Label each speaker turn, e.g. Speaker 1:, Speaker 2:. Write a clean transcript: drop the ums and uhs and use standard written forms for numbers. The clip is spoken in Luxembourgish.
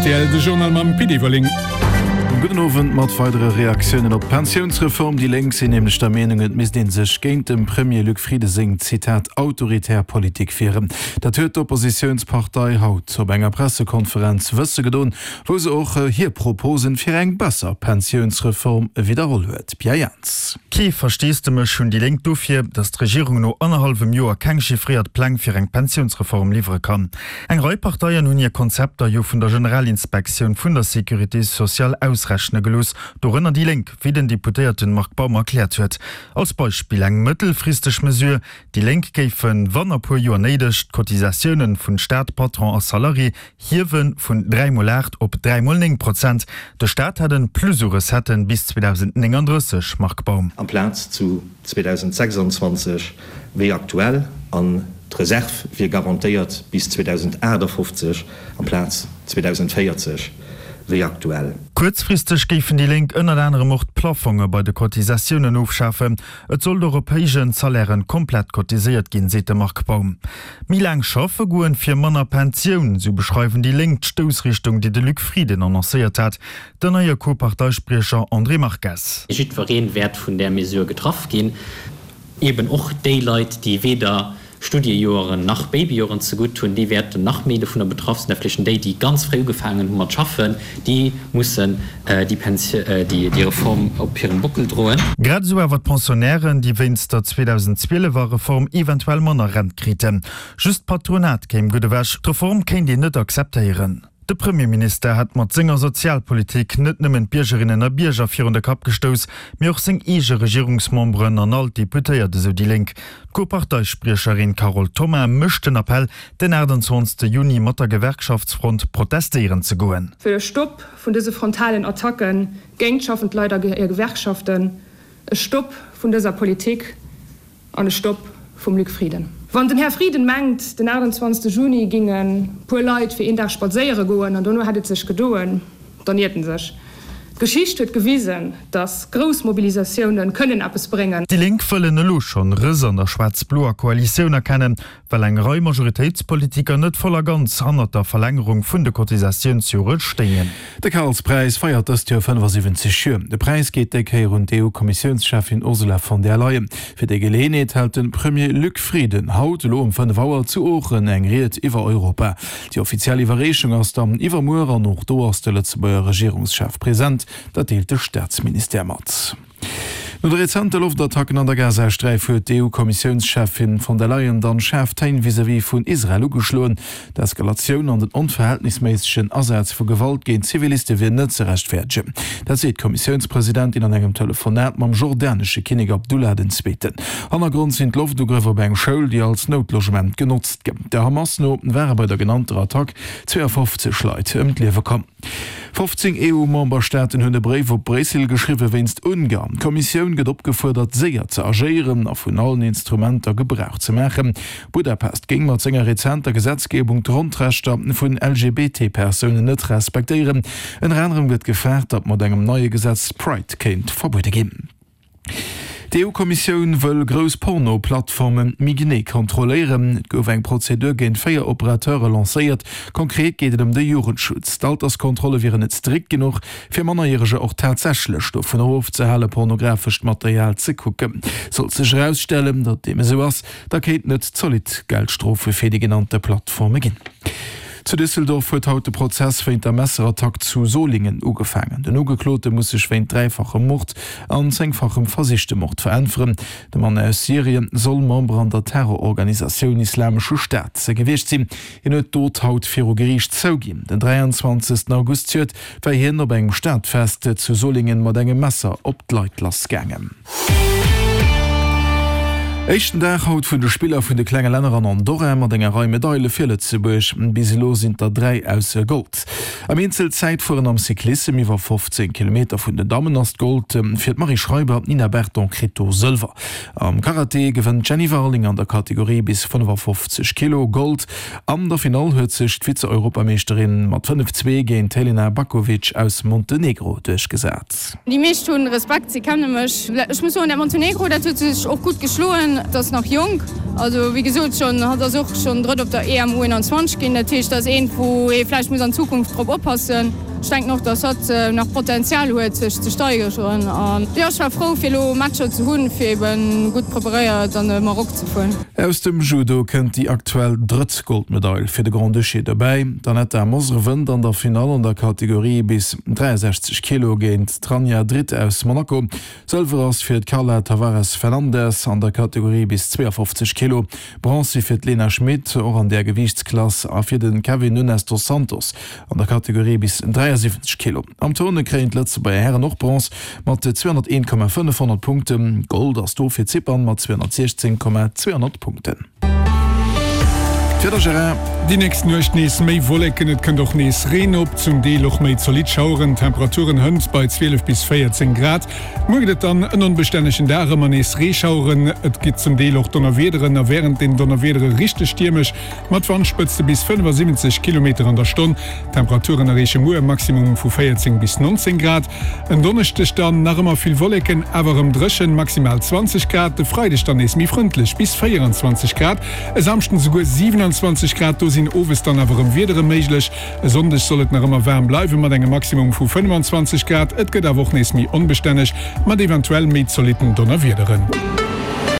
Speaker 1: Rtl, de Journal mam Pit Everling.
Speaker 2: Gudden Owend. Mat weidere Reaktiounen op d'Pensiounsreform. Déi Lénk sinn nämlech der Meenung, et misst ee sech géint dem Premier Luc Frieden seng, Zitat, autoritär Politik wieren. Dat huet d'Oppositiounspartei haut op enger Pressekonferenz wësse gedoen, wou se och hir Proposen fir eng besser Pensiounsreform widderholl huet. Pierre Jans.
Speaker 3: Kee Versteesdemech hunn déi Lénk dofir, datt d'Regierung no annerhallwem Joer keng chiffréiert Pläng fir eng Pensiounsreform liwwere kann. Eng Rei Parteien hunn hir Konzepter jo vun der Generalinspektioun vun der Sécurité sociale ausrechne gelooss, dorënner déi Lénk, wéi den Deputéierten Marc Baum erkläert huet. Als Beispill eng mëttelfristeg Mesure, Déi Lénk géifen, wann a puer Joer néideg, d'Cotisatiounen vun Staat, Patron a Salarié hiewe vun 3 mol 8 op 3 mol 9 Prozent. De Staat hätt en Plus u Recetten bis 2039, Marc Baum.
Speaker 4: Amplaz zu 2026 wéi aktuell, an d'Reserv wier garantéiert bis 2058 amplaz 2040 wéi aktuell.
Speaker 3: Kuerzfristeg géifen déi Lénk ënnert anerem och d'Plafonge bei de Cotisatiounen ofschafen. Et sollt och op héijen Salairen komplett cotiséiert ginn, seet de Marc Baum. Méi laang schaffe goen fir manner Pensioun, sou beschreiwen déi Lénk d'Stoussrichtung, déi de Luc Frieden annoncéiert hat. Den neie Co-Parteispriecher André Marques.
Speaker 5: Jiddweree wäert vun där Mesure getraff ginn, eben och déi Leit, déi weder Studiejoeren nach Babyjoeren zegutt hunn, déi wäerten nach méi dovunner betraff sinn. Vläicht déi, déi ganz fréi ugefaangen hu mat schaffen, déi mussen déi déi Reform op hirem Bockel droen.
Speaker 3: Grad esou awer d'Pensionnairen, déi wéinst der 2012 er Reform eventuell manner Rent kriten. Just d'Patronat kéim gutt ewech. D'Reform kéint een net akzeptéieren. De Premierminister hätt mat senger Sozialpolitik net nëmmen d'Biergerinnen a Bierger virun de Kapp gestouss, mee och seng eege Regierungsmemberen an all d'Deputéiert, esou déi Lénk. D'Co-Parteispriecherin Carole Thoma mécht den Appell, den 28 Juni mat der Gewerkschaftsfront protestéieren ze goen.
Speaker 6: Fir e Stopp vun dëse frontalen Attacke géint schaffend Leit a hir Gewerkschaften, e Stopp vun dëser Politik An e Stopp vum Luc Frieden. Wann den Här Frieden mengt, den 28 Juni ginge puer Leit fir een Dag spadséiere goen an dono hätt et sech gedoen, dann iert en sech. D'Geschicht huet gewisen, datt grouss Mobilisatioune kënnen eppes bréngen.
Speaker 3: Déi Lénk wëllen elo schonn Rëss an der schwaarz-bloer Koalitioun erkennen, well eng Rei Majoritéitspolitiker net voll a ganz hannert der Verlängerung vun de Cotisatiounsjore stéingen.
Speaker 2: De Karlspräis feiert dëst Joer 75 Joer. De Präis geet déi Kéier un d'EU-Kommissiounscheffin Ursula von der Leyen. Fir déi Geleeënheet hält de Premier Luc Frieden haut elo um 5 Auer zu Oochen eng Ried iwwer Europa. Déi offiziell Iwwerreechung ass dann iwwermuer an och do ass de Lëtzebuerger Regierungschef present. Dat deelt de Staatsministère mat. No de rezente Loftattacken an der Gazasträif huet d'EU-Kommissiounscheffin von der Leyen dann schaarf Téin vis-à-vis vun Israel ugeschloen. D'Eskalatioun an den onverhältnisméissegen Asaz vu Gewalt géint Ziviliste wier net ze rechtfäerdegen. Dat seet d'Kommissiounspresidentin an engem Telefonat mam jordanesche Kinnek Abdullah den Zweeten. Hannergrond sinn d'Loftugrëff op eng Schoul, déi als Noutlogement genotzt gëtt. Der Hamas no ware bei der genannter Attack 52 Leit ëm d'Liewe komm. 15 EU-Memberstaaten hunn e Bréif op Bréissel geschriwwe wéinst Ungarn. D'Kommissioun gëtt opgefuerdert, séier ze agéieren a vun allen Instrumenter Gebrauch ze maachen. Budapest géing mat senger rezenter Gesetzgebung d'Grondrechter vun LGBT-Persounen net respektéieren. Ënner anerem gëtt gefaart, datt mat engem neie Gesetz d'Pride kéint verbuede ginn. D'EU-Kommissioun wëll grouss Porno-Plattforme méi genee kontrolléieren. Et gouf eng Prozedur géint 4 Operateure lancéiert. Konkret geet et ëm de Jugendschutz. D'Alterskontrolle wieren net strikt genuch, fir Mannerjäreger och tatsächlech dovunner ofzehale pornografescht Material ze kucken. Sollt sech erausstellen, datt deem esou ass, da kéinten et zolidd Geldstrofe fir déi genannte Plattforme ginn. Zu Düsseldorf huet haut de Prozess wéint der Messerattack zu Solingen ugefaangen. Den Ugeklote muss sech wéint dräifachem Mord an zéngfachem versichte Mord veräntweren. De Mann aus Syrien soll Member an der Terrororganisatioun Islamesche Staat gewiescht sinn. Hien huet d'Dot haut viru Geriicht zouginn. Den 23 August zejoert war hien op engem Stadfest zu Solingen mat engem Messer op d'Leit lassgaangen. Éischten Dag haut vun de Spiller vun de klenge Länner an Andorra mat enger Rei Medaile fir Lëtzebuerg. Bis elo sinn der 3 aus Gold. Am Eenzelzäitfueren am Cyclissem iwwer 15 Kilometer vun den Dammen ass d'Gold fir d'Marie Schreiber, d'Nina Berton kritt do Sëlwer. Am Karate gewënnt d'Jenny Warling an der Kategorie bis 55 Kilo Gold. An der Finall huet sech d'Vize-Europameeschterin mat 5, 2 géint d'Helena Bakovic aus Montenegro duerchgesat.
Speaker 7: Déi meescht hunn Respekt, si kenne mech. Ech muss soen, dat Montenegro, dat huet sech och gutt geschloen. schonn, et ass nach jonk. Also wéi gesot schonn, hatt ass och schonn Drëtt op der EM U21 ginn. Dat heescht, dat ass eent, wou ee vläicht muss an Zukunft drop oppassen. Ech denken och, datt hatt nach Potenzial huet, sech ze steigeren. An jo, ech war frou, fir elo Matcher ze hunn, fir eben gutt preparéiert an de Maroc ze fueren.
Speaker 2: Aus dem Judo kënnt déi aktuell drëtt Goldmedail fir de Grand-Duché dobäi. D'Anetta Mosr wënnt an der Finall an der Kategorie bis 63 Kilo géint d'Rania Drit aus Monaco. Sëlwer ass fir d'Carla Tavares Fernandes an der Kategorie bis 52 Kilo, Bronze fir d'Lena Schmit och an där Gewiichtsklass a fir de Kevin Nunes dos Santos an der Kategorie bis 73 Kilo. Am Turne kréien d'Lëtzebuerger Hären och Bronze mat 201,500 Punkten. Gold ass do fir Zypern mat 216,200 Punkten.
Speaker 1: D'Wieder, Gérard. Déi nächst Nuecht nees méi Wolleken, et kënnt och nees Reen op, zum Deel och méi zolidd Schaueren. D'Temperaturen hënt bei 12 bis 14 Grad. Muer gëtt et dann en onbestännegen Dag, ëmmer nees Reeschaueren, et gitt zum Deel och Donnerwiederen a wärend den Donnerwiedere richteg stiermesch mat Wandspëtzte bis 75 Kilometer an der Stonn. D'Temperaturen erreeche muer e Maximum vu 14 bis 19 Grad. En Donneschdeg dann nach ëmmer vill Wolleken, awer erëm dréchen, maximal 20 Grad. De Freideg dann nees méi frëndlech, bis 24 Grad. E Samschden esouguer 27 Grad, do sinn owes dann awer erëm Wiedere méiglech. E Sonndeg soll et nach ëmmer waarm bleiwen, mat engem Maximum vu 25 Grad. Et gëtt awer och nees méi onbestänneg, mat eventuell méi zolitten Donnerwiederen.